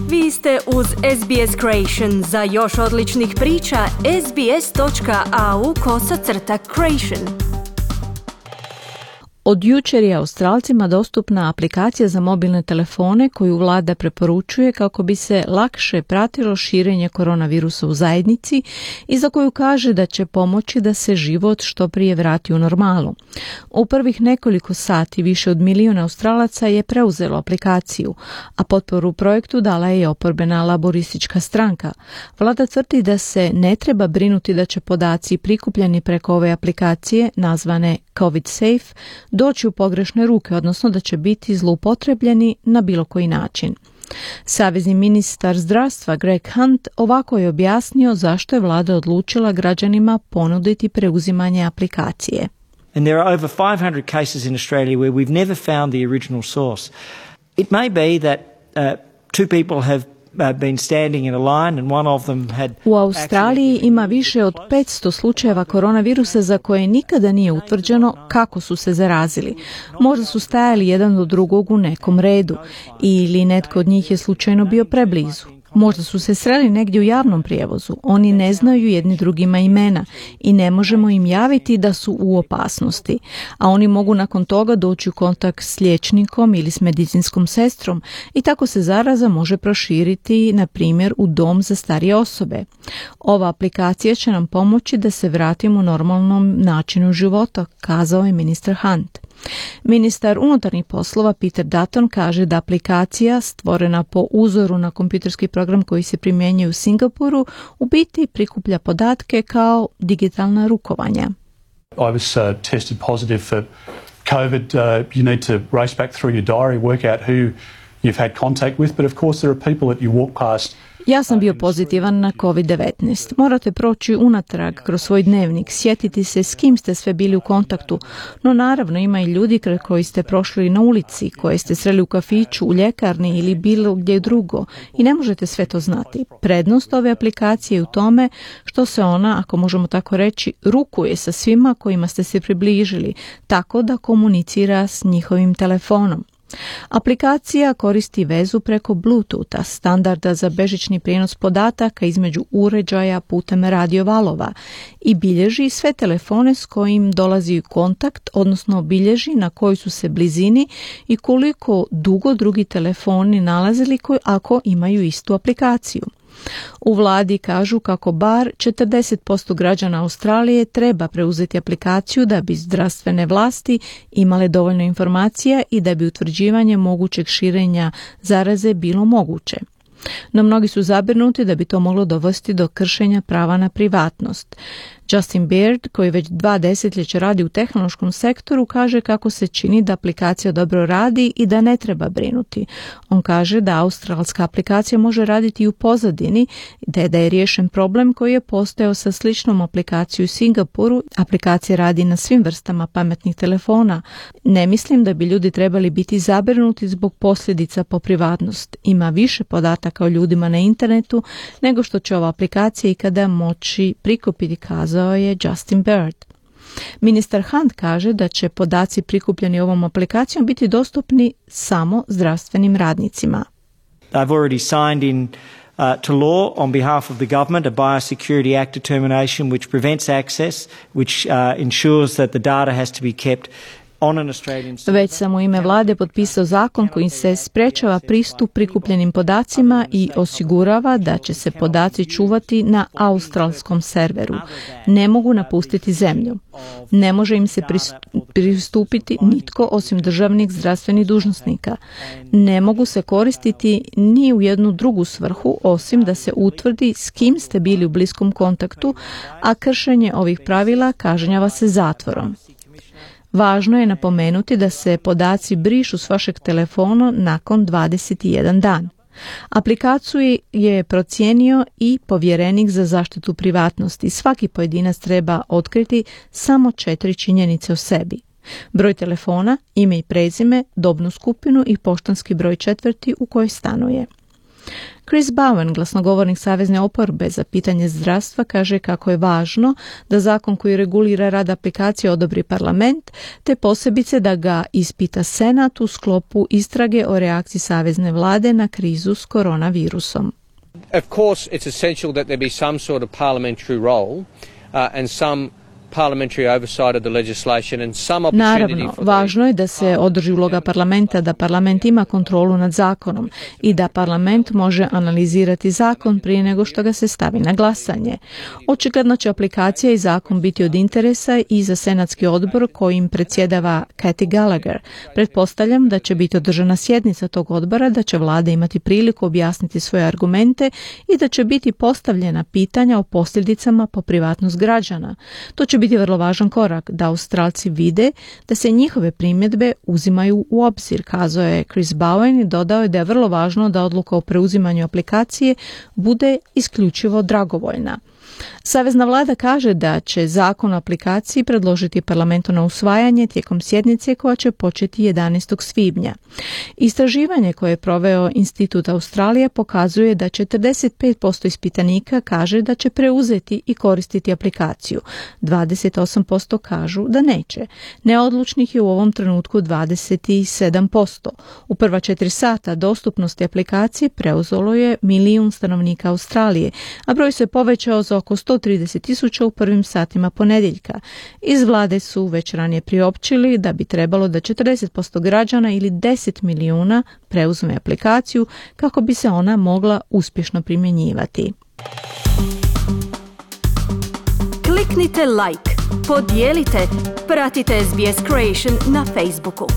Vi ste uz SBS Creation. Za još odličnih priča, sbs.au/creation. Od jučer je Australcima dostupna aplikacija za mobilne telefone koju vlada preporučuje kako bi se lakše pratilo širenje koronavirusa u zajednici i za koju kaže da će pomoći da se život što prije vrati u normalu. U prvih nekoliko sati više od 1 milijun Australaca je preuzelo aplikaciju, a potporu projektu dala je oporbena laboristička stranka. Vlada tvrdi da se ne treba brinuti da će podaci prikupljeni preko ove aplikacije, nazvane COVID Safe, doći u pogrešne ruke, odnosno da će biti zloupotrebljeni na bilo koji način. Savezni ministar zdravstva Greg Hunt ovako je objasnio zašto je vlada odlučila građanima ponuditi preuzimanje aplikacije. And there are over 500 cases in Australia where we've never found the original source. It may be that two people have been standing in a line and one of them had. U Australiji ima više od 500 slučajeva koronavirusa za koje nikada nije utvrđeno kako su se zarazili. Možda su stajali jedan do drugog u nekom redu ili netko od njih je slučajno bio preblizu. Možda su se sreli negdje u javnom prijevozu. Oni ne znaju jedni drugima imena i ne možemo im javiti da su u opasnosti. A oni mogu nakon toga doći u kontakt s liječnikom ili s medicinskom sestrom i tako se zaraza može proširiti, na primjer, u dom za starije osobe. Ova aplikacija će nam pomoći da se vratimo normalnom načinu života, kazao je ministar Hunt. Ministar unutarnjih poslova Peter Dutton kaže da aplikacija, stvorena po uzoru na kompjuterski program koji se primjenjuje u Singapuru, u biti prikuplja podatke kao digitalna rukovanja. I was tested positive for COVID. You need to race back through your diary, work out who you've had contact with, but of course there are people that you walk past. Ja sam bio pozitivan na COVID-19. Morate proći unatrag kroz svoj dnevnik, sjetiti se s kim ste sve bili u kontaktu, no naravno ima i ljudi koji ste prošli na ulici, koje ste sreli u kafiću, u ljekarni ili bilo gdje drugo i ne možete sve to znati. Prednost ove aplikacije je u tome što se ona, ako možemo tako reći, rukuje sa svima kojima ste se približili, tako da komunicira s njihovim telefonom. Aplikacija koristi vezu preko Bluetootha, standarda za bežični prijenos podataka između uređaja putem radiovalova, i bilježi sve telefone s kojim dolazi u kontakt, odnosno bilježi na kojoj su se blizini i koliko dugo drugi telefoni nalazili ako imaju istu aplikaciju. U vladi kažu kako bar 40% građana Australije treba preuzeti aplikaciju da bi zdravstvene vlasti imale dovoljno informacija i da bi utvrđivanje mogućeg širenja zaraze bilo moguće. No mnogi su zabrinuti da bi to moglo dovesti do kršenja prava na privatnost. Justin Baird, koji već 2 desetljeća radi u tehnološkom sektoru, kaže kako se čini da aplikacija dobro radi i da ne treba brinuti. On kaže da australska aplikacija može raditi i u pozadini, da je riješen problem koji je postojao sa sličnom aplikacijom u Singapuru. Aplikacija radi na svim vrstama pametnih telefona. Ne mislim da bi ljudi trebali biti zabrinuti zbog posljedica po privatnost. Ima više podataka o ljudima na internetu nego što će ova aplikacija ikada moći prikupiti, kazao je Justin Baird. Ministar Hunt kaže da će podaci prikupljeni ovom aplikacijom biti dostupni samo zdravstvenim radnicima. They've already signed in to law on behalf of the government a Biosecurity Act determination which prevents access, which ensures that the data has to be kept. Već sam u ime vlade potpisao zakon kojim se sprečava pristup prikupljenim podacima i osigurava da će se podaci čuvati na australskom serveru. Ne mogu napustiti zemlju. Ne može im se pristupiti nitko osim državnih zdravstvenih dužnosnika. Ne mogu se koristiti ni u jednu drugu svrhu osim da se utvrdi s kim ste bili u bliskom kontaktu, a kršenje ovih pravila kažnjava se zatvorom. Važno je napomenuti da se podaci brišu s vašeg telefona nakon 21 dan. Aplikaciju je procijenio i povjerenik za zaštitu privatnosti. Svaki pojedinac treba otkriti samo 4 činjenice o sebi: broj telefona, ime i prezime, dobnu skupinu i poštanski broj četvrti u kojoj stanuje. Chris Bowen, glasnogovornik savezne oporbe za pitanje zdravstva, kaže kako je važno da zakon koji regulira rad aplikacije odobri parlament, te posebice da ga ispita Senat u sklopu istrage o reakciji savezne vlade na krizu s koronavirusom. Of course, it's essential that there be some sort of parliamentary role and some parliamentary oversight of the legislation and some opportunity. Naravno, važno je da se održi uloga parlamenta, da parlament ima kontrolu nad zakonom i da parlament može analizirati zakon prije nego što ga se stavi na glasanje. Očigledno će aplikacija i zakon biti od interesa i za senatski odbor kojim predsjedava Kathy Gallagher. Pretpostavljam da će biti održana sjednica tog odbora, da će vlada imati priliku objasniti svoje argumente i da će biti postavljena pitanja o posljedicama po privatnost građana. To će biti vrlo važan korak da Australci vide da se njihove primjedbe uzimaju u obzir, kazao je Chris Bowen i dodao je da je vrlo važno da odluka o preuzimanju aplikacije bude isključivo dragovoljna. Savezna vlada kaže da će zakon o aplikaciji predložiti parlamentu na usvajanje tijekom sjednice koja će početi 11. svibnja. Istraživanje koje je proveo Institut Australije pokazuje da 45% ispitanika kaže da će preuzeti i koristiti aplikaciju. 28% kažu da neće. Neodlučnih je u ovom trenutku 27%. U prva 4 sata dostupnosti aplikacije preuzelo je 1 milijun stanovnika Australije, a broj se povećao za oko 130.000 u prvim satima ponedjeljka. Iz vlade su već ranije priopćili da bi trebalo da 40% građana ili 10 milijuna preuzme aplikaciju kako bi se ona mogla uspješno primjenjivati. Kliknite like, podijelite, pratite SBS Creation na Facebooku.